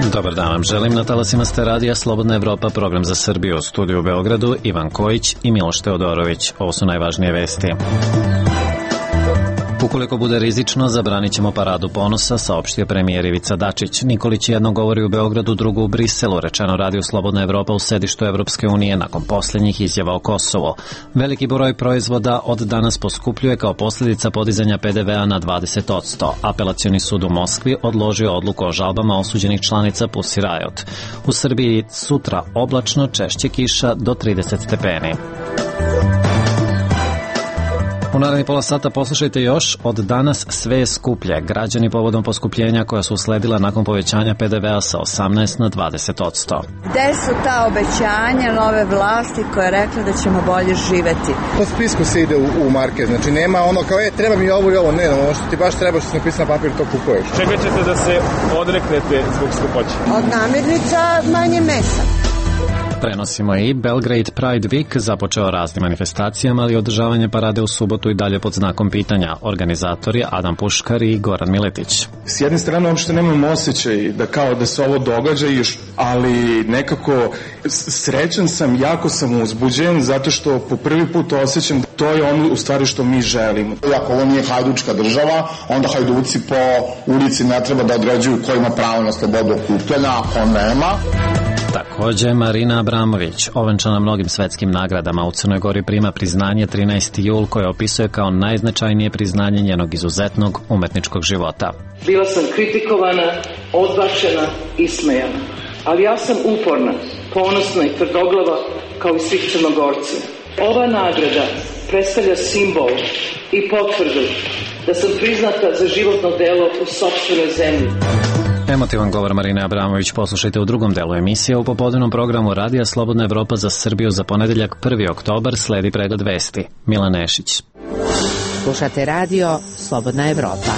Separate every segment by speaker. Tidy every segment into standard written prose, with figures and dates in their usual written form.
Speaker 1: Dobar dan vam želim, na talasima ste radija Slobodna Evropa, program za Srbiju, u studiju u Beogradu, Ivan Kojić i Miloš Teodorović. Ovo su najvažnije vesti. Ukoliko bude rizično, zabranit ćemo paradu ponosa, saopštio premijer Ivica Dačić. Nikolić jedno govori u Beogradu, drugo u Briselu, rečeno radiju Slobodna Evropa u sedištu Evropske unije nakon posljednjih izjava o Kosovo. Veliki broj proizvoda od danas poskupljuje kao posljedica podizanja PDV-a na 20%. Apelacioni sud u Moskvi odložio odluku o žalbama osuđenih članica Pussy Riot. U Srbiji sutra oblačno, češće kiša do 30 stepeni. U narednih pola sata poslušajte još, od danas sve je skuplje. Građani povodom poskupljenja koja su usledila nakon povećanja PDV-a sa 18 na 20%.
Speaker 2: Gde su ta obećanja nove vlasti koja je rekla da ćemo bolje živeti?
Speaker 3: Po spisku se ide u market, znači nema ono kao treba mi ovo i ovo, ne, ono što ti baš treba što se napisano na papir, to kupuješ.
Speaker 4: Čega ćete da se odreknete zbog skupoće?
Speaker 2: Od namirnica manje mesa.
Speaker 1: Prenosimo i Belgrade Pride Week započeo raznim manifestacijama, ali održavanje parade u subotu i dalje pod znakom pitanja. Organizatori Adam Puškar i Goran Miletić.
Speaker 5: S jedne strane uopšte nemam osjećaj da kao da se ovo događa, ali nekako srećan sam, jako sam uzbuđen zato što po prvi put osjećam da to je ono u stvari što mi želimo.
Speaker 6: Ako ovo nije hajdučka država, onda hajduci po ulici ne treba da određuju ko ima pravo na slobodu okupljanja, ako nema.
Speaker 1: Također, Marina Abramović, ovenčana mnogim svetskim nagradama, u Crnoj Gori prima priznanje 13. jul koje opisuje kao najznačajnije priznanje njenog izuzetnog umetničkog života.
Speaker 7: Bila sam kritikovana, odbačena i smejana, ali ja sam uporna, ponosna i tvrdoglava kao i svih Crnogorci. Ova nagrada predstavlja simbol i potvrdu da sam priznata za životno delo u sopstvenoj zemlji.
Speaker 1: Emotivan govor Marine Abramović poslušajte u drugom delu emisije. U popodnevnom programu Radija Slobodna Evropa za Srbiju za ponedeljak 1. oktobar sledi pregled vesti. Milan Nešić.
Speaker 8: Slušate radio Slobodna Evropa.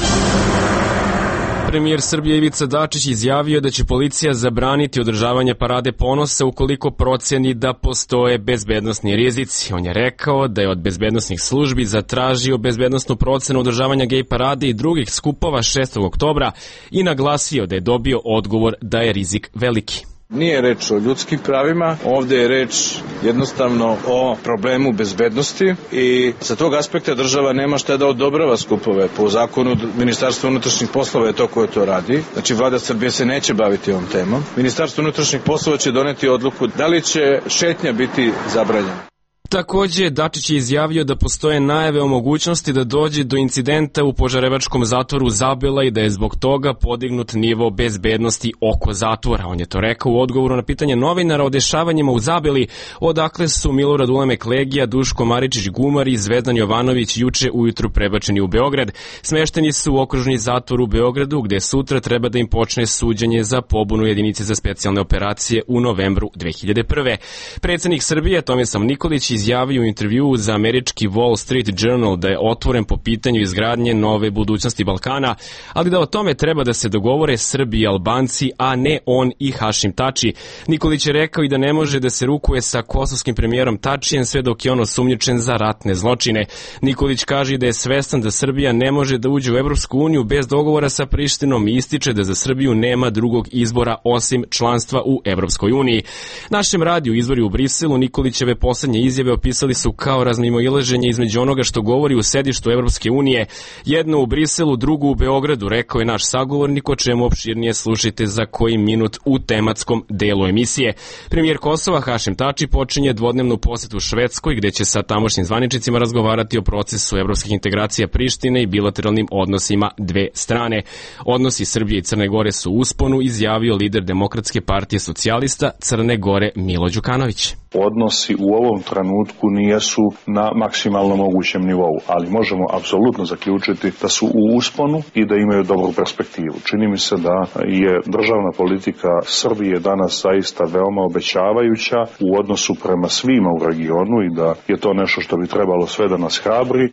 Speaker 4: Premijer Srbije Ivica Dačić izjavio da će policija zabraniti održavanje parade ponosa ukoliko proceni da postoje bezbednosni rizici. On je rekao da je od bezbednosnih službi zatražio bezbednosnu procenu održavanja gej parade i drugih skupova 6. oktobra i naglasio da je dobio odgovor da je rizik veliki.
Speaker 9: Nije reč o ljudskim pravima, ovdje je reč jednostavno o problemu bezbednosti i sa tog aspekta država nema šta da odobrava skupove. Po zakonu Ministarstva unutrašnjih poslova je to koje to radi. Znači vlada Srbije se neće baviti ovom temom. Ministarstvo unutrašnjih poslova će doneti odluku da li će šetnja biti zabranjena.
Speaker 4: Također, Dačić je izjavio da postoje najave o mogućnosti da dođe do incidenta u Požarevačkom zatvoru Zabela i da je zbog toga podignut nivo bezbednosti oko zatvora. On je to rekao u odgovoru na pitanje novinara o dešavanjima u Zabeli, odakle su Milorad Ulemek Legija, Duško Maričić-Gumar i Zvezdan Jovanović juče ujutru prebačeni u Beograd. Smešteni su u okružni zatvor u Beogradu, gde sutra treba da im počne suđenje za pobunu jedinice za specijalne operacije u novembru 2001. Predsjednik Srbije Tomislav Nikolić izjavio u intervjuu za američki Wall Street Journal da je otvoren po pitanju izgradnje nove budućnosti Balkana, ali da o tome treba da se dogovore Srbi i Albanci, a ne on i Hašim Tači. Nikolić je rekao i da ne može da se rukuje sa kosovskim premijerom Tačijem sve dok je on osumnjičen za ratne zločine. Nikolić kaže da je svestan da Srbija ne može da uđe u Evropsku uniju bez dogovora sa Prištinom i ističe da za Srbiju nema drugog izbora osim članstva u Evropskoj uniji. Našem radiju Izvori u Briselu Nikolićeve poslednje izjave opisali su kao razmimoilaženje između onoga što govori u sedištu Evropske unije. Jedno u Briselu, drugo u Beogradu, rekao je naš sagovornik, o čemu opširnije slušajte za koji minut u tematskom delu emisije. Premijer Kosova Hašim Tači počinje dvodnevnu posetu Švedskoj, gde će sa tamošnjim zvaničnicima razgovarati o procesu evropskih integracija Prištine i bilateralnim odnosima dve strane. Odnosi Srbije i Crne Gore su u usponu, izjavio lider Demokratske partije socijalista Crne Gore Milo Đukanović.
Speaker 10: Odnosi u ovom trenutku nijesu na maksimalno mogućem nivou, ali možemo apsolutno zaključiti da su u usponu i da imaju dobru perspektivu. Čini mi se da je državna politika Srbije danas zaista veoma obećavajuća u odnosu prema svima u regionu i da je to nešto što bi trebalo sve da nas hrabri.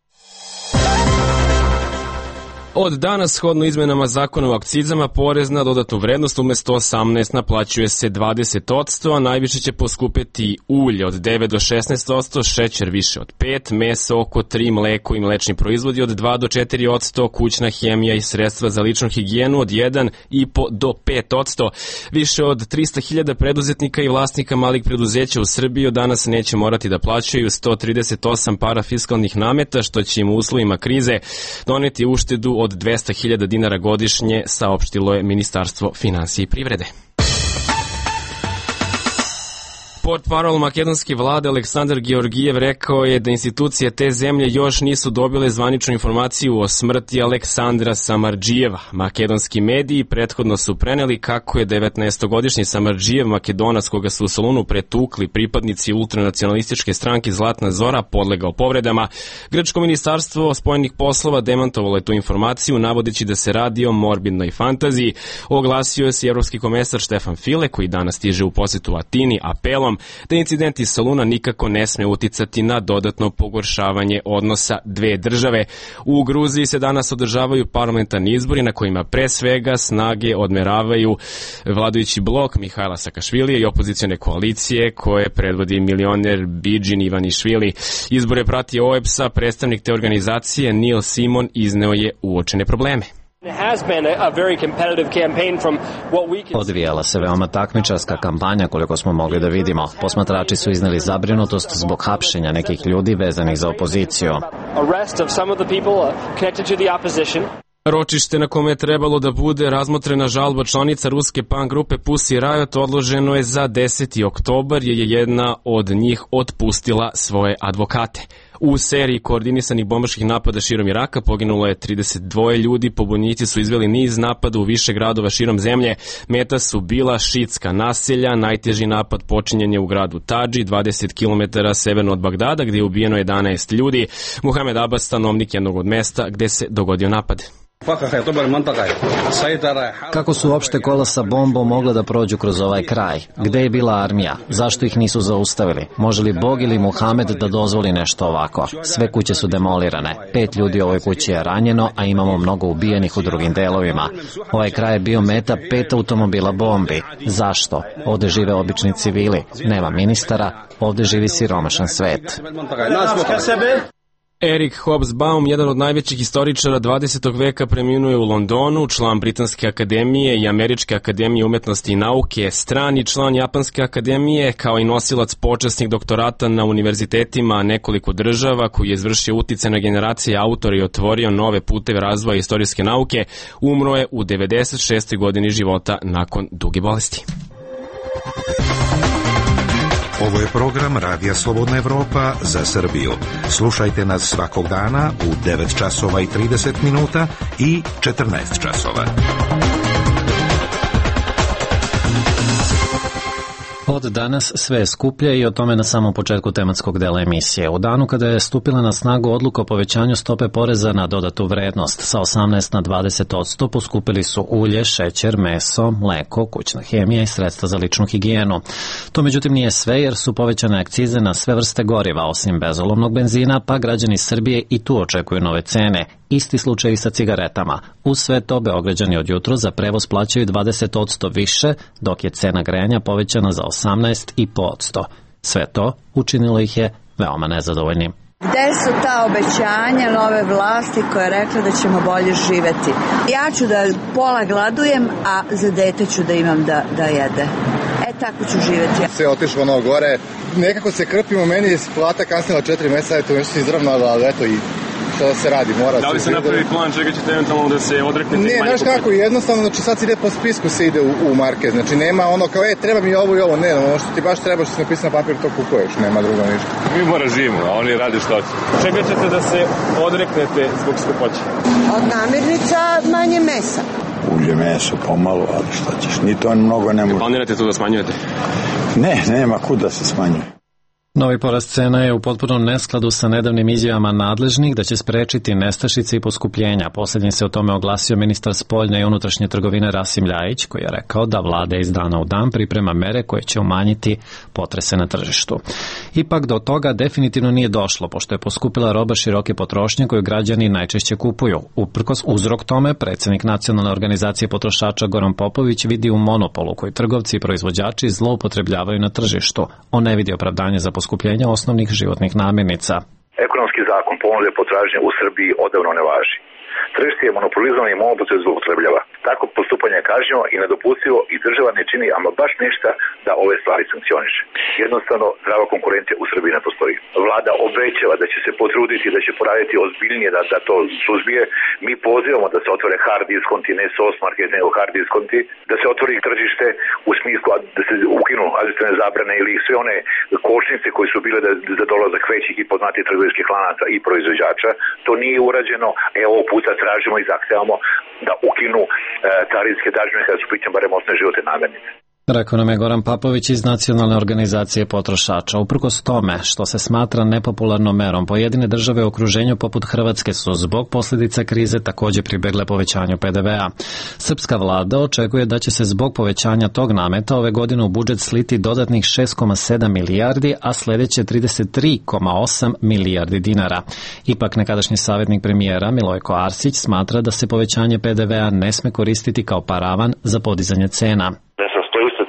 Speaker 4: Od danas, shodno izmenama zakona o akcizama, porez na dodatnu vrednost umesto 18 naplaćuje se 20%, a najviše će poskupeti ulje od 9 do 16%, šećer više od 5%, meso oko 3%, mleko i mlečni proizvodi od 2 do 4%, kućna hemija i sredstva za ličnu higijenu od 1,5 do 5%. Više od 300.000 preduzetnika i vlasnika malih preduzeća u Srbiji od danas neće morati da plaćaju 138 parafiskalnih nameta, što će im u uslovima krize doneti uštedu od 200.000 dinara godišnje, saopštilo je Ministarstvo finansija i privrede. Portparol makedonske vlade Aleksandar Georgijev rekao je da institucije te zemlje još nisu dobile zvaničnu informaciju o smrti Aleksandra Samardžijeva. Makedonski mediji prethodno su preneli kako je 19-godišnji Samardžijev, Makedonac koga su u Solunu pretukli pripadnici ultranacionalističke stranke Zlatna Zora, podlegao povredama. Grčko ministarstvo spoljnih poslova demantovalo je tu informaciju, navodeći da se radi o morbidnoj fantaziji. Oglasio je se evropski komesar Štefan File, koji danas stiže u posetu Atini, apelom da incident iz Soluna nikako ne sme uticati na dodatno pogoršavanje odnosa dve države. U Gruziji se danas održavaju parlamentarni izbori na kojima pre svega snage odmeravaju vladajući blok Mihajla Sakašvilija i opozicione koalicije koje predvodi milioner Bidžin Ivanišvili. Izbore prati OEBS-a, predstavnik te organizacije Neil Simon izneo je uočene probleme.
Speaker 1: Odvijala se veoma takmičarska kampanja koliko smo mogli da vidimo. Posmatrači su izneli zabrinutost zbog hapšenja nekih ljudi vezanih za opoziciju.
Speaker 4: Ročište na kome je trebalo da bude razmotrena žalba članica ruske punk grupe Pussy Riot odloženo je za 10. oktobar jer je jedna od njih otpustila svoje advokate. U seriji koordinisanih bombaških napada širom Iraka poginulo je 32 ljudi, pobunjenici su izveli niz napada u više gradova širom zemlje, meta su bila šitska naselja, najteži napad počinjen je u gradu Tadži, 20 km severno od Bagdada, gdje je ubijeno 11 ljudi. Muhamed Abbas, stanovnik jednog od mesta gdje se dogodio napad.
Speaker 1: Kako su uopšte kola sa bombom mogla da prođu kroz ovaj kraj? Gde je bila armija? Zašto ih nisu zaustavili? Može li Bog ili Muhamed da dozvoli nešto ovako? Sve kuće su demolirane. 5 ljudi u ovoj kući je ranjeno, a imamo mnogo ubijenih u drugim delovima. Ovaj kraj je bio meta 5 automobila bombi. Zašto? Ovde žive obični civili. Nema ministara. Ovde živi siromašan svet.
Speaker 4: Eric Hobsbawm, jedan od najvećih istoričara 20. veka, preminuo je u Londonu, član Britanske akademije i Američke akademije umetnosti i nauke, strani član Japanske akademije, kao i nosilac počasnih doktorata na univerzitetima nekoliko država, koji je izvršio utice na generacije autora i otvorio nove puteve razvoja istorijske nauke, umro je u 96. godini života nakon duge bolesti.
Speaker 11: Ovo je program Radija Slobodna Evropa za Srbiju. Slušajte nas svakog dana u 9 časova i 30 minuta i 14 časova.
Speaker 1: Od danas sve je skuplje i o tome na samom početku tematskog dela emisije. U danu kada je stupila na snagu odluka o povećanju stope poreza na dodatu vrednost sa 18 na 20%, poskupili su ulje, šećer, meso, mleko, kućna hemija i sredstva za ličnu higijenu. To međutim nije sve jer su povećane akcize na sve vrste goriva osim bezolovnog benzina, pa građani Srbije i tu očekuju nove cene. Isti slučaj i sa cigaretama. Uz sve to Beograđani od jutro za prevoz plaćaju 20% više, dok je cena grejanja povećana za 18,5%. Sve to učinilo ih je veoma nezadovoljnim.
Speaker 2: Gde su ta obećanja nove vlasti koja je rekla da ćemo bolje živeti? Ja ću da pola gladujem, a za dete ću da imam da jede. Tako ću živeti.
Speaker 3: Sve otišlo ono gore. Nekako se krpimo, meni je plata kasnila 4 meseca, eto nešto se izravnalo, ali eto i što da se radi, mora se...
Speaker 4: Da li se napravi plan čega ćete eventualno da se odreknete?
Speaker 3: Ne, znaš kako, jednostavno, znači sad se ide po spisku, se ide u market, znači nema ono kao, treba mi ovo i ovo, ne, ono što ti baš treba, što se napisano na papir, to kupuješ, nema drugo ništa.
Speaker 12: Mi mora živimo, a oni radi što će.
Speaker 4: Čega ćete da se odreknete zbog skupoće?
Speaker 13: Od namirnica manje mesa.
Speaker 14: Ulje, meso, pomalo, ali šta ćeš, ni to mnogo ne može.
Speaker 4: Planirate to da smanjujete?
Speaker 14: Ne, nema kud da se smanjuje.
Speaker 1: Novi porast cena je u potpunom neskladu sa nedavnim izjavama nadležnih da će sprečiti nestašice i poskupljenja. Posljednji se o tome oglasio ministar spoljne i unutrašnje trgovine Rasim Ljajić, koji je rekao da vlada iz dana u dan priprema mere koje će umanjiti potrese na tržištu. Ipak do toga definitivno nije došlo, pošto je poskupila roba široke potrošnje koju građani najčešće kupuju. Uprkos uzrok tome, predsjednik Nacionalne organizacije potrošača Goran Popović vidi u monopolu koji trgovci i proizvođači zloupotrebljavaju na tržištu. On ne vidi opravdanje za poskupljenje osnovnih životnih namirnica.
Speaker 15: Ekonomski zakon ponude potražnje u Srbiji odavno ne važi. Tržište je monopolizovano i monopol se zloupotrebljava. Tako postupanje je kažnjivo i nedopustivo i država ne čini ama baš ništa da ove stvari sankcioniše. Jednostavno, zdrava konkurencija u Srbiji ne postoji. Vlada obećava da će se potruditi, da će poraditi ozbiljnije da to suzbije. Mi pozivamo da se otvore hard diskonti, ne soft market, nego hard diskonti, da se otvori tržište u smislu da se ukinu administrativne zabrane ili sve one kočnice koje su bile za dolazak većih i poznatih trgovinskih lanaca i proizvođača. To nije urađeno. Ovog puta tražimo i zahtevamo da ukinu carinske dažbine kada su pitanju barem osnovne životne namirnice.
Speaker 1: Rekao nam je Goran Papović iz Nacionalne organizacije potrošača. Uprkos tome što se smatra nepopularnom merom, pojedine države u okruženju poput Hrvatske su zbog posljedica krize također pribegle povećanju PDV-a. Srpska vlada očekuje da će se zbog povećanja tog nameta ove godine u budžet sliti dodatnih 6,7 milijardi, a sljedeće 33,8 milijardi dinara. Ipak nekadašnji savjetnik premijera Milojko Arsić smatra da se povećanje PDV-a ne sme koristiti kao paravan za podizanje cena.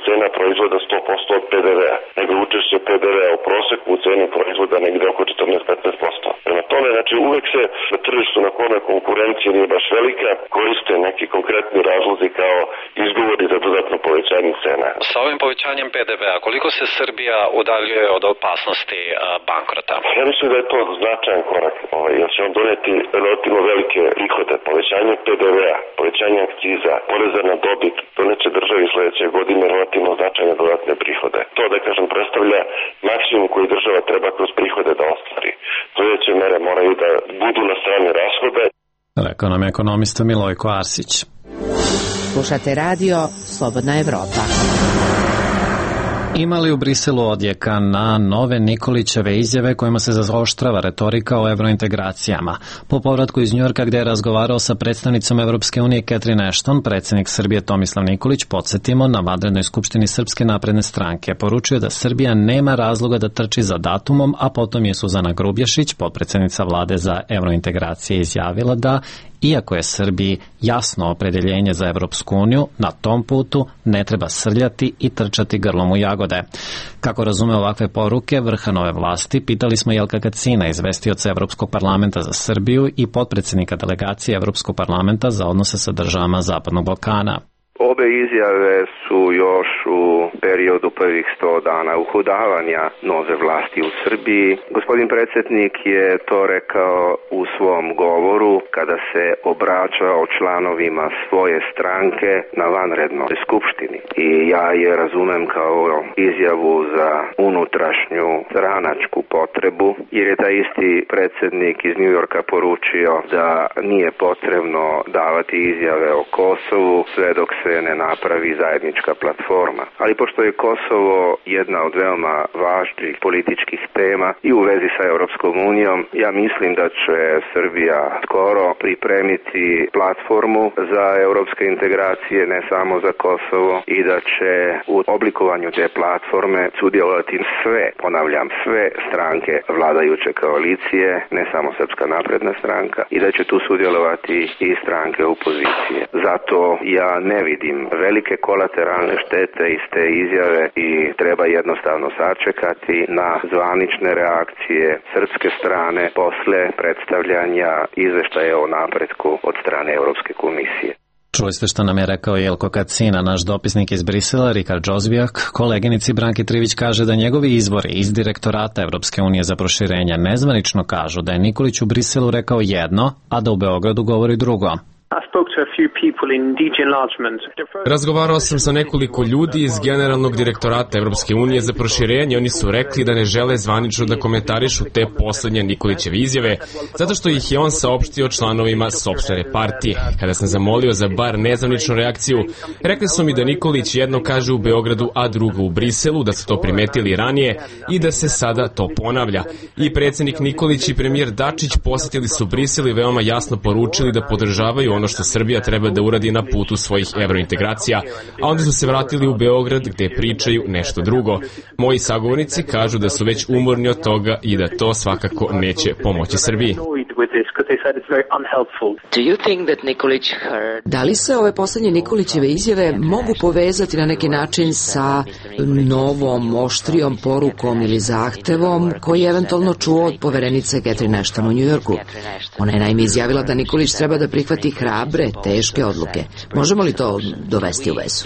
Speaker 16: Cena proizvoda 100% od PDV-a, nego učešće PDV-a u proseku u ceni proizvoda negde oko 14-15%. Prema tome, znači uvek se na tržištu na kome konkurencija nije baš velika, koriste neki konkretni razlozi kao izgovori za dodatno povećanje cena.
Speaker 1: Sa ovim povećanjem PDV-a, koliko se Srbija udaljuje od opasnosti bankrota?
Speaker 16: Ja mislim da je to značajan korak, jer će on doneti relativno velike prihode. Povećanje PDV-a, povećanje akciza, poreza na dobit, doneće državi sledeće godine relativno značajne dodatne prihode. To, da kažem, predstavlja maksimum koji država treba kroz prihode da ostvari. Sledeće mere moraju da budu na strani rashoda.
Speaker 1: Rekao nam je ekonomista Milojko Arsić.
Speaker 8: Slušate radio Slobodna Evropa.
Speaker 1: Ima li u Briselu odjeka na nove Nikolićeve izjave kojima se zaoštrava retorika o evrointegracijama? Po povratku iz Njujorka gdje je razgovarao sa predstavnicom Evropske unije Catherine Ashton, predsjednik Srbije Tomislav Nikolić, podsjetimo, na vanrednoj skupštini Srpske napredne stranke poručio da Srbija nema razloga da trči za datumom, a potom je Suzana Grubješić, potpredsjednica vlade za evrointegracije, izjavila da iako je Srbiji jasno opredeljenje za Evropsku uniju, na tom putu ne treba srljati i trčati grlom u jagode. Kako razume ovakve poruke vrha nove vlasti, pitali smo Jelka Kacina, izvestioca Evropskog parlamenta za Srbiju i potpredsjednika delegacije Evropskog parlamenta za odnose sa državama Zapadnog Balkana.
Speaker 17: Obe izjave su još u periodu prvih 100 dana uhodavanja nove vlasti u Srbiji. Gospodin predsjednik je to rekao u svom govoru kada se obraćao članovima svoje stranke na vanrednoj skupštini. I ja je razumem kao izjavu za unutrašnju stranačku potrebu, jer je taj isti predsjednik iz Njujorka poručio da nije potrebno davati izjave o Kosovu sve dok se ne napravi zajednička platforma. Ali pošto je Kosovo jedna od veoma važnih političkih tema i u vezi sa Europskom unijom, ja mislim da će Srbija skoro pripremiti platformu za europske integracije, ne samo za Kosovo, i da će u oblikovanju te platforme sudjelovati sve, ponavljam, sve stranke vladajuće koalicije, ne samo Srpska napredna stranka, i da će tu sudjelovati i stranke opozicije. Zato ja ne vidim velike kolateralne štete iz te izjave i treba jednostavno sačekati na zvanične reakcije srpske strane posle predstavljanja izveštaja o napretku od strane Europske komisije.
Speaker 1: Čuli ste što nam je rekao Jelko Kacina, naš dopisnik iz Brisela, Rikard Džozbijak. Koleginici Branki Trivić kaže da njegovi izvori iz direktorata Evropske unije za proširenje nezvanično kažu da je Nikolić u Briselu rekao jedno, a da u Beogradu govori drugo.
Speaker 18: A s tog će
Speaker 4: Razgovarao sam sa nekoliko ljudi iz Generalnog direktorata Evropske unije za proširenje. Oni su rekli da ne žele zvanično da komentarišu te poslednje Nikolićeve izjave, zato što ih je on saopštio članovima sopstvene partije. Kada sam zamolio za bar nezvaničnu reakciju, rekli su mi da Nikolić jedno kaže u Beogradu, a drugo u Briselu, da su to primetili ranije i da se sada to ponavlja. I predsednik Nikolić i premijer Dačić posetili su Brisel i veoma jasno poručili da podržavaju ono što Srbija treba da uradi na putu svojih evrointegracija, a onda su se vratili u Beograd gde pričaju nešto drugo. Moji sagovornici kažu da su već umorni od toga i da to svakako neće pomoći Srbiji.
Speaker 18: Da li se ove poslednje Nikolićeve izjave mogu povezati na neki način sa novom, oštrijom porukom ili zahtevom koji je eventualno čuo od poverenice Catherine Ashton u Njujorku? Ona je naime izjavila da Nikolić treba da prihvati hrabre, teške odluke. Možemo li to dovesti u vezu?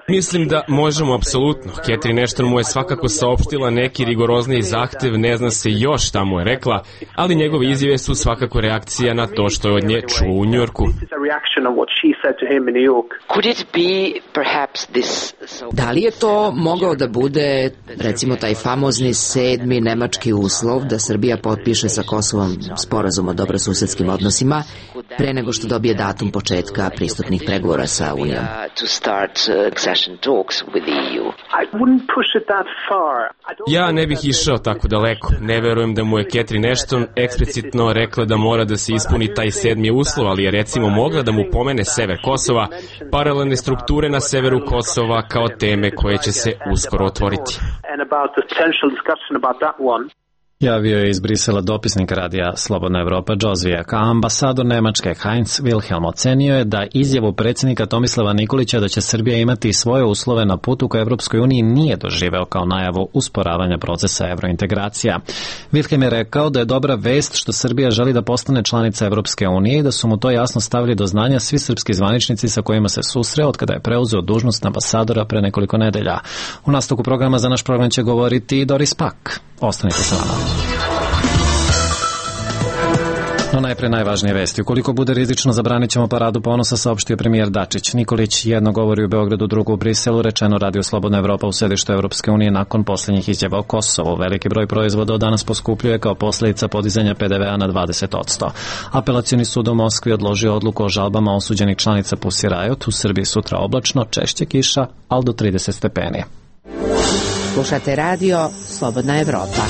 Speaker 4: Mislim da možemo apsolutno. Catherine Ashton mu je svakako saopštila neki rigorozniji zahtev, ne zna se još šta mu je rekla, ali njegove izjave su svakako reakcija na to što je od nje čuo u Njujorku.
Speaker 18: Da li je to mogao da bude, recimo, taj famozni 7. nemački uslov da Srbija potpiše sa Kosovom sporazum o dobrosusedskim odnosima pre nego što dobije datum početka pristupnih pregovora sa Unijom?
Speaker 4: Ja ne bih išao tako daleko. Ne verujem da mu je Catherine Ashton eksplicitno rekla da mora da se ispuni taj 7. uslov, ali je recimo mogla da mu pomene sever Kosova, paralelne strukture na severu Kosova kao teme koje će se uskoro otvoriti.
Speaker 1: Javio je iz Brisela dopisnik radija Slobodna Evropa Džozvijak, a ambasador Nemačke Heinz Wilhelm ocenio je da izjavu predsjednika Tomislava Nikolića da će Srbija imati svoje uslove na putu ka Evropskoj uniji nije doživeo kao najavu usporavanja procesa evrointegracija. Wilhelm je rekao da je dobra vest što Srbija želi da postane članica Evropske unije i da su mu to jasno stavili do znanja svi srpski zvaničnici sa kojima se susreo od kada je preuzeo dužnost ambasadora pre nekoliko nedelja. U nastavku programa za naš program će govoriti Doris Pak. Ostanite sa nama. No najpre najvažnije vesti. Ukoliko bude rizično, zabranit ćemo paradu ponosa, saopštio premijer Dačić. Nikolić jedno govori u Beogradu, drugo u Briselu, rečeno Radio Slobodna Evropa u sedištu Evropske unije nakon poslednjih izjava o Kosovu. Veliki broj proizvoda od danas poskupljuje kao posledica podizanja PDV-a na 20%. Apelacioni sud u Moskvi odložio odluku o žalbama osuđenih članica Pussy Riot. U Srbiji sutra oblačno, češće kiša, ali do 30 stepeni.
Speaker 8: Slušate radio Slobodna Evropa.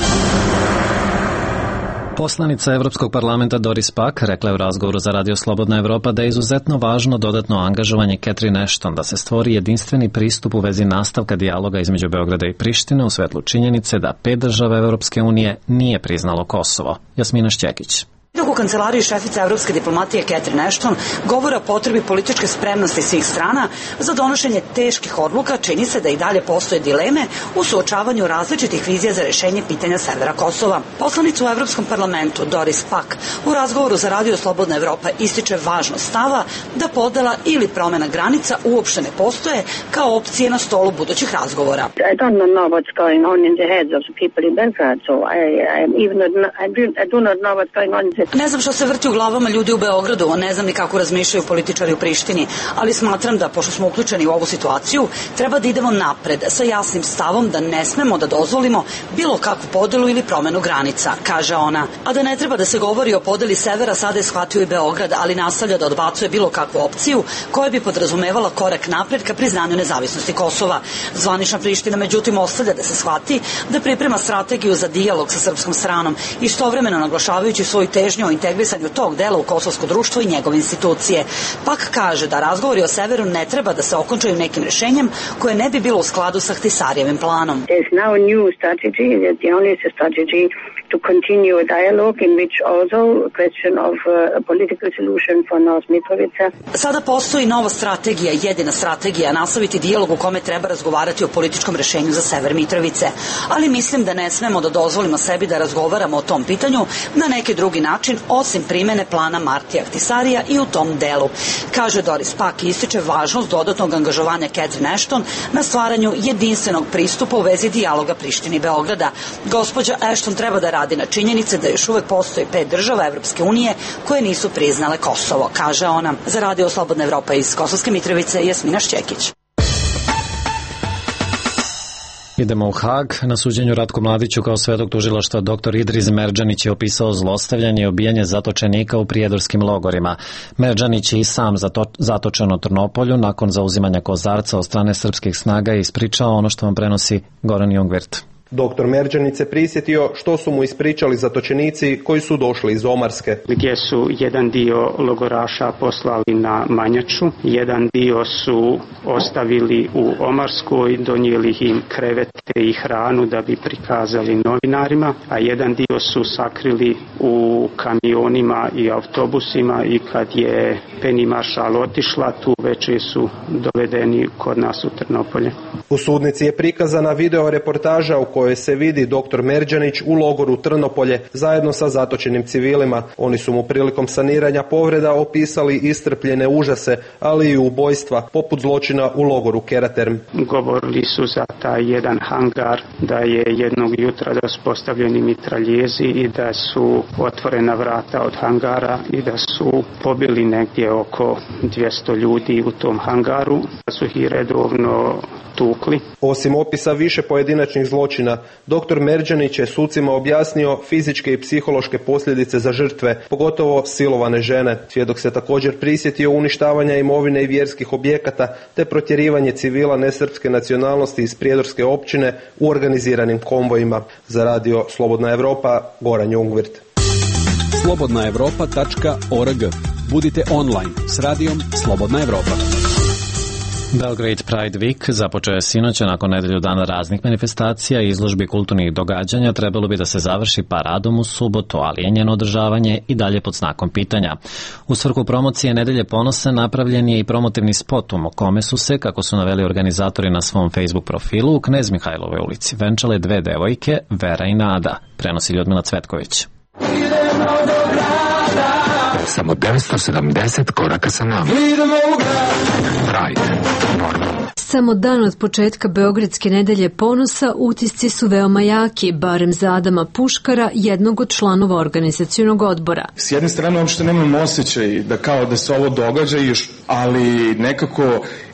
Speaker 1: Poslanica Evropskog parlamenta Doris Pak rekla je u razgovoru za Radio Slobodna Evropa da je izuzetno važno dodatno angažovanje Catherine Ashton da se stvori jedinstveni pristup u vezi nastavka dijaloga između Beograda i Prištine u svetlu činjenice da 5 država Evropske unije nije priznalo Kosovo. Jasmina Šćekić.
Speaker 19: Dok u kancelariji šefice evropske diplomatije Catherine Ashton govore o potrebi političke spremnosti svih strana za donošenje teških odluka, čini se da i dalje postoje dileme u suočavanju različitih vizija za rešenje pitanja severa Kosova. Poslanica u Evropskom parlamentu Doris Pak u razgovoru za Radio Slobodna Evropa ističe važnost stava da podela ili promena granica uopšte ne postoje kao opcije na stolu budućih razgovora.
Speaker 20: I don't know what's going on in the heads of the people in Belgrade, so I do not know what's going on in the...
Speaker 19: Ne znam što se vrti u glavama ljudi u Beogradu, ne znam ni kako razmišljaju političari u Prištini, ali smatram da, pošto smo uključeni u ovu situaciju, treba da idemo napred sa jasnim stavom da ne smemo da dozvolimo bilo kakvu podelu ili promenu granica, kaže ona. A da ne treba da se govori o podeli severa, sada je shvatio i Beograd, ali nastavlja da odbacuje bilo kakvu opciju koja bi podrazumevala korak napred ka priznanju nezavisnosti Kosova. Zvanična Priština, međutim, ostavlja da se shvati da priprema strategiju za dijalog sa srpskom stranom, istovremeno naglašavajući svoju težnju o integrisanju tog dela u kosovsko društvo i njegove institucije. Pak kaže da razgovori o severu ne treba da se okončaju nekim rešenjem koje ne bi bilo u skladu sa Ahtisarijevim planom.
Speaker 20: There's now a new strategy, the only strategy to continue a dialogue in which also a question of a political solution for North Mitrovica.
Speaker 19: Sada postoji nova strategija, jedina strategija, nastaviti dijalog u kome treba razgovarati o političkom rešenju za sever Mitrovice. Ali mislim da ne smemo da dozvolimo sebi da razgovaramo o tom pitanju na neki drugi način osim primene plana Martija Ahtisarija i u tom delu. Kaže Doris Pak i ističe važnost dodatnog angažovanja Catherine Ashton na stvaranju jedinstvenog pristupa u vezi dijaloga Prištine i Beograda. Gospođa Ashton treba da radi radi na činjenice da još uvek postoji 5 država Evropske unije koje nisu priznale Kosovo, kaže ona. Za Radio Slobodna Evropa iz Kosovske Mitrovice, Jasmina Šćekić.
Speaker 1: Idemo u Hag. Na suđenju Ratku Mladiću kao svedok tužilaštva dr. Idris Merdžanić je opisao zlostavljanje i obijanje zatočenika u prijedorskim logorima. Merdžanić je i sam zatočen u Trnopolju nakon zauzimanja Kozarca od strane srpskih snaga i ispričao ono što vam prenosi Goran Jungwirth.
Speaker 21: Doktor Merdžanić se prisjetio što su mu ispričali zatočenici koji su došli iz Omarske.
Speaker 22: Gdje su jedan dio logoraša poslali na Manjaču, jedan dio su ostavili u Omarskoj, donijeli im krevete i hranu da bi prikazali novinarima, a jedan dio su sakrili u kamionima i autobusima i kad je Penny Maršal otišla, tu večer su dovedeni kod nas u Trnopolje.
Speaker 21: U sudnici je prikazana video reportaža u kojoj se vidi dr. Merdžanić u logoru Trnopolje zajedno sa zatočenim civilima. Oni su mu prilikom saniranja povreda opisali iscrpljene užase, ali i ubojstva, poput zločina u logoru Keraterm.
Speaker 22: Govorili su za taj jedan hangar, da je jednog jutra da su postavljeni mitraljezi i da su otvorena vrata od hangara i da su pobili negdje oko 200 ljudi u tom hangaru, da su ih redovno tukli. Osim opisa više pojedinačnih zločina, dr. Merdžanić je sucima objasnio fizičke i psihološke posljedice za žrtve, pogotovo silovane žene. Svjedok se također prisjetio uništavanja imovine i vjerskih objekata te protjerivanje civila nesrpske nacionalnosti iz prijedorske općine u organiziranim konvojima. Za Radio Slobodna Evropa, Goran Jungwirth.
Speaker 23: slobodnaevropa.org. Budite online s radijom Slobodna Evropa.
Speaker 1: Belgrade Pride Week započeo je sinoć, nakon nedelju dana raznih manifestacija i izložbi kulturnih događanja. Trebalo bi da se završi paradom u subotu, ali je njeno održavanje i dalje pod znakom pitanja. U svrhu promocije Nedelje ponosa napravljen je i promotivni spot u kome su se, kako su naveli organizatori na svom Facebook profilu, u Knez Mihajlovoj ulici venčale 2 devojke, Vera i Nada, prenosi Ljudmila Cvetković.
Speaker 24: Samo 970 koraka sa nama. Pride, normalno.
Speaker 25: Samo dan od početka Beogradske nedelje ponosa utisci su veoma jaki, barem za Adama Puškara, jednog od članova organizacionog odbora.
Speaker 5: S jedne strane uopšte nemam osjećaj da kao da se ovo događa, ali nekako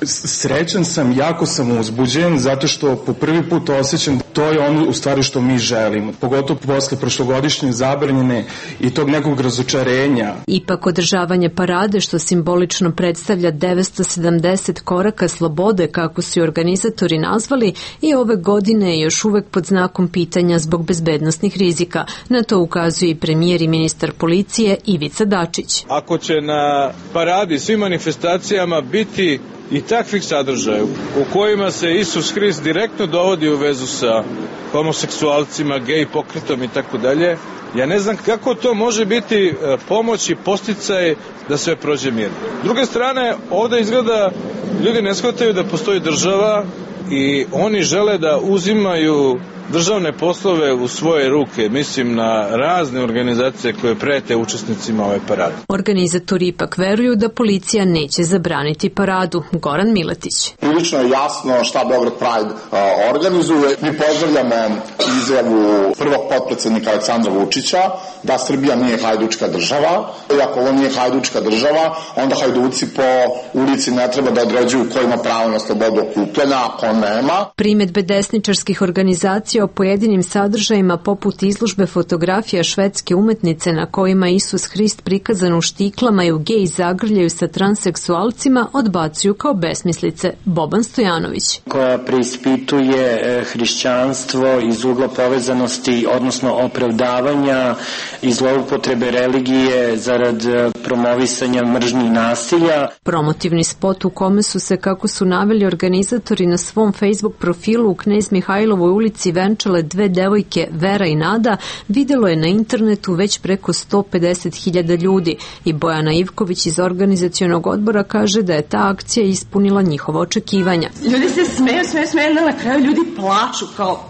Speaker 5: srećan sam, jako sam uzbuđen, zato što po prvi put osjećam to je ono u stvari što mi želimo. Pogotovo posle prošlogodišnje zabranjene i tog nekog razočarenja.
Speaker 25: Ipak održavanje parade, što simbolično predstavlja 970 koraka slobode, kako su organizatori nazvali, i ove godine je još uvek pod znakom pitanja zbog bezbednosnih rizika. Na to ukazuje i premijer i ministar policije Ivica Dačić.
Speaker 9: Ako će na paradi, svim manifestacijama biti i takvih sadržaja u kojima se Isus Hrist direktno dovodi u vezu sa homoseksualcima, gej pokretom i tako dalje, ja ne znam kako to može biti pomoć i posticaj da sve prođe mirno. S druge strane, ovde izgleda ljudi ne shvataju da postoji država i oni žele da uzimaju državne poslove u svoje ruke, mislim na razne organizacije koje prete učesnicima ove parade.
Speaker 25: Organizatori ipak veruju da policija neće zabraniti paradu. Goran Miletić.
Speaker 6: Prilično je jasno šta Beograd Pride organizuje. Mi pozdravljamo izjavu prvog potpredsednika Aleksandra Vučića da Srbija nije hajdučka država. I ako ovo nije hajdučka država, onda hajduci po ulici ne treba da određuju ko ima pravo na slobodu okupljanja, ako nema.
Speaker 25: Primedbe desničarskih organizacija o pojedinim sadržajima poput izložbe fotografija švedske umetnice na kojima Isus Hrist prikazan u štiklama i u gej zagrljaju sa transseksualcima odbacuju kao besmislice. Boban Stojanović.
Speaker 26: Koja preispituje hrišćanstvo iz ugla povezanosti, odnosno opravdavanja i zloupotrebe religije zarad promovisanja mržnje i nasilja.
Speaker 25: Promotivni spot u kome su se, kako su naveli organizatori na svom Facebook profilu, u Knez Mihajlovoj ulici venčale 2 devojke, Vera i Nada, videlo je na internetu već preko 150.000 ljudi i Bojana Ivković iz organizacionog odbora kaže da je ta akcija ispunila njihova očekivanja.
Speaker 27: Ljudi se smeju, na kraju ljudi plaču kao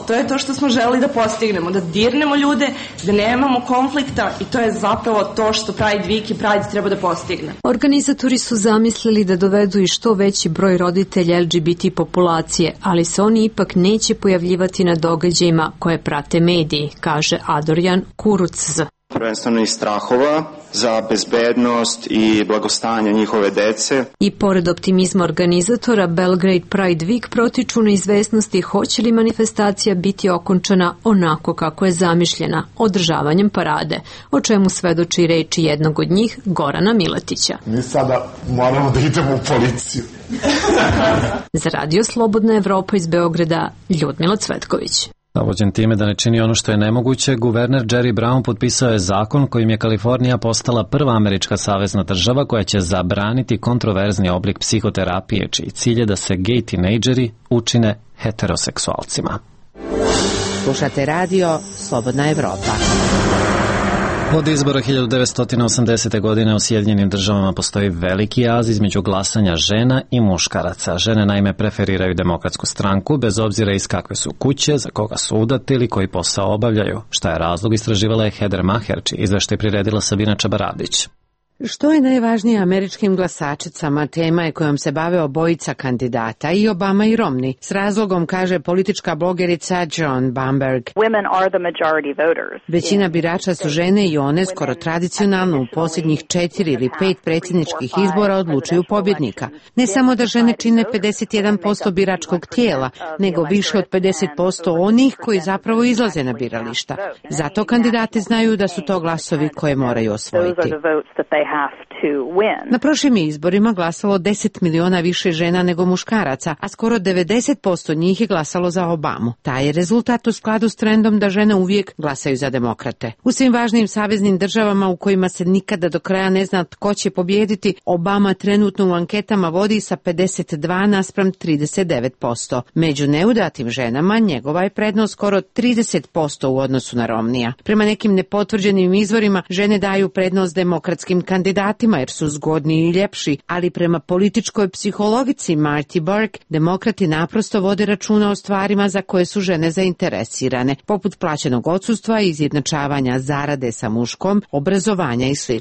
Speaker 2: To je to što smo želeli da postignemo, da dirnemo ljude, da nemamo konflikta i to je zapravo to što Pride Week i Pride treba da postigne.
Speaker 25: Organizatori su zamislili da dovedu i što veći broj roditelja LGBT populacije, ali se oni ipak neće pojavljivati na događajima koje prate mediji, kaže Adorjan Kuruc.
Speaker 3: Prvenstveno iz strahova za bezbednost i blagostanje njihove dece.
Speaker 25: I pored optimizma organizatora, Belgrade Pride Week protiču neizvesnosti hoće li manifestacija biti okončana onako kako je zamišljena, održavanjem parade, o čemu svedoči reči jednog od njih, Gorana Miletića.
Speaker 7: Mi sada moramo da idemo u policiju.
Speaker 25: Za Radio Slobodna Evropa iz Beograda, Ljudmila Cvetković.
Speaker 1: Navođen time da ne čini ono što je nemoguće, guverner Jerry Brown potpisao je zakon kojim je Kalifornija postala prva američka savezna država koja će zabraniti kontroverzni oblik psihoterapije, čiji cilj je da se gej tinejdžeri učine heteroseksualcima.
Speaker 8: Slušate radio Slobodna Evropa.
Speaker 1: Od izbora 1980. godine u Sjedinjenim državama postoji veliki jaz između glasanja žena i muškaraca. Žene naime preferiraju Demokratsku stranku, bez obzira iz kakve su kuće, za koga su udate ili koji posao obavljaju. Šta je razlog, istraživala je Heather Maher, čiji izveštaj priredila Sabina Čabaradić.
Speaker 8: Što je najvažnije američkim glasačicama, tema je kojom se bave obojica kandidata, i Obama i Romney. S razlogom, kaže politička blogerica Joan Bamberg. Većina birača su žene i one skoro tradicionalno u posljednjih 4 ili 5 predsjedničkih izbora odlučuju pobjednika. Ne samo da žene čine 51% biračkog tijela, nego više od 50% onih koji zapravo izlaze na birališta. Zato kandidati znaju da su to glasovi koje moraju osvojiti. Na prošlim izborima glasalo 10 miliona više žena nego muškaraca, a skoro 90% njih je glasalo za Obamu. Taj je rezultat u skladu s trendom da žene uvijek glasaju za demokrate. U svim važnim saveznim državama u kojima se nikada do kraja ne zna tko će pobijediti, Obama trenutno u anketama vodi sa 52:39%. Među neudatim ženama njegova je prednost skoro 30% u odnosu na Romneya. Prema nekim nepotvrđenim izvorima žene daju prednost demokratskim kandidatima jer su zgodniji i ljepši, ali prema političkoj psihologici Marty Burke, demokrati naprosto vode računa o stvarima za koje su žene zainteresirane, poput plaćenog odsustva, izjednačavanja zarade sa muškom, obrazovanja i sl.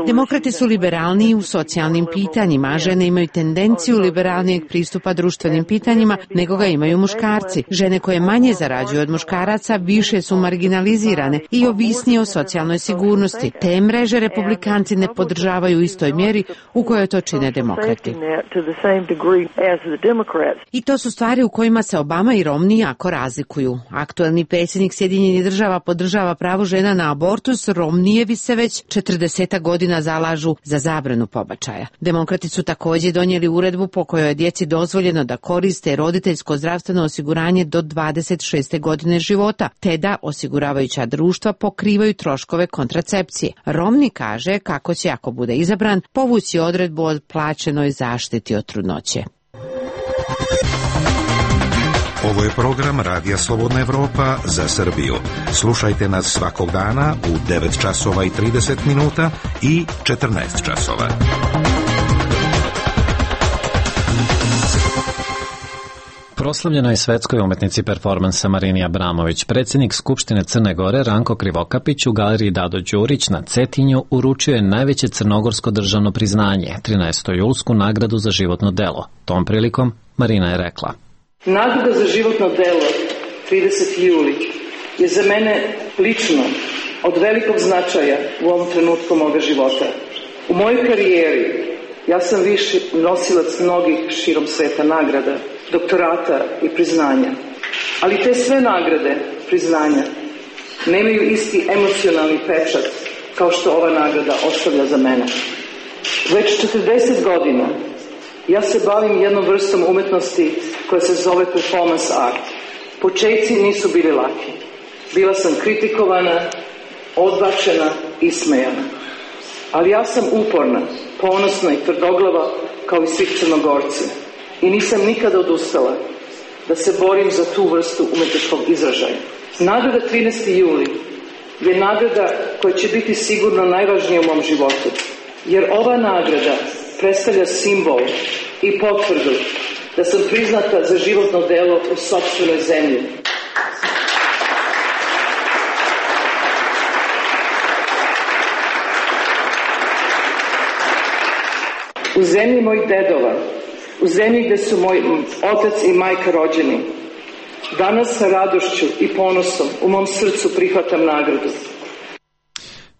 Speaker 8: Demokrati su liberalniji u socijalnim pitanjima, a žene imaju tendenciju liberalnijeg pristupa društvenim pitanjima nego ga imaju muškarci. Žene koje manje zarađuju od muškaraca više su marginalizirane i ovisnije o socijalnoj sigurnosti. Te mreže republikanci ne podržavaju u istoj mjeri u kojoj to čine demokrati. I to su stvari u kojima se Obama i Romney jako razlikuju. Aktuelni predsjednik Sjedinjenih država podržava pravo žena na abortus, Romneyevi se već 40 godina zalažu za zabranu pobačaja. Demokrati su također donijeli uredbu po kojoj je djeci dozvoljeno da koriste roditeljsko zdravstveno osiguranje do 26. godine života, te da osiguravajuća društva pokrivaju troškove kontracepcije. Romney kaže kako će, ako bude izabran, povući odredbu o plaćenoj zaštiti od trudnoće.
Speaker 10: Ovo je program Radija Slobodna Evropa za Srbiju. Slušajte nas svakog dana u 9 časova i 30 minuta i 14 časova.
Speaker 1: Proslavljena je svetskoj umetnici performansa Marini Abramović. Predsjednik Skupštine Crne Gore Ranko Krivokapić u galeriji Dado Đurić na Cetinju uručio je najveće crnogorsko državno priznanje, 13. julsku nagradu za životno delo. Tom prilikom Marina je rekla:
Speaker 11: Nagrada za životno delo 30. juli je za mene lično od velikog značaja u ovom trenutku moga života. U mojoj karijeri ja sam više nosilac mnogih širom sveta nagrada, doktorata i priznanja. Ali te sve nagrade, priznanja, nemaju isti emocionalni pečat kao što ova nagrada ostavlja za mene. Već 40 godina ja se bavim jednom vrstom umetnosti koja se zove performance art. Početci nisu bili laki. Bila sam kritikovana, odbačena, ismejana. Ali ja sam uporna, ponosna i tvrdoglava kao i svi Crnogorci. I nisam nikada odustala da se borim za tu vrstu umetničkog izražaja. Nagrada 13. juli je nagrada koja će biti sigurno najvažnija u mom životu. Jer ova nagrada predstavlja simbol i potvrdu da sam priznata za životno delo u sopstvenoj zemlji. U zemlji mojih dedova, u zemlji gde su moj otac i majka rođeni, danas sa radošću i ponosom u mom srcu prihvatam nagradu.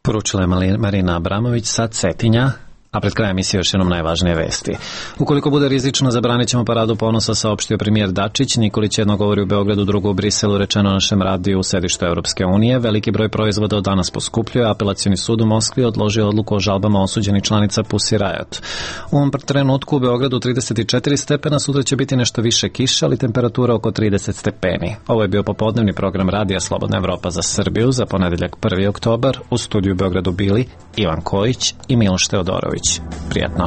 Speaker 1: Poručila je Marina Abramović sa Cetinja, a pred krajem emisije još jednom najvažnije vesti. Ukoliko bude rizično, zabranit ćemo paradu ponosa, saopštio premijer Dačić. Nikolić jedno govori u Beogradu, drugo u Briselu, rečeno na našem radiju u sedištu Evropske unije. Veliki broj proizvoda od danas poskupljuje. Apelacioni sud u Moskvi odložio odluku o žalbama osuđenih članica Pussy Riot. U ovom trenutku u Beogradu 34 stepena, sutra će biti nešto više kiše, ali temperatura oko 30 stepeni. Ovo je bio popodnevni program Radija Slobodna Evropa za Srbiju za ponedeljak 1. oktobar. U studiju u Beogradu bili Ivan Kojić i Miloš Teodorović. Prijetno.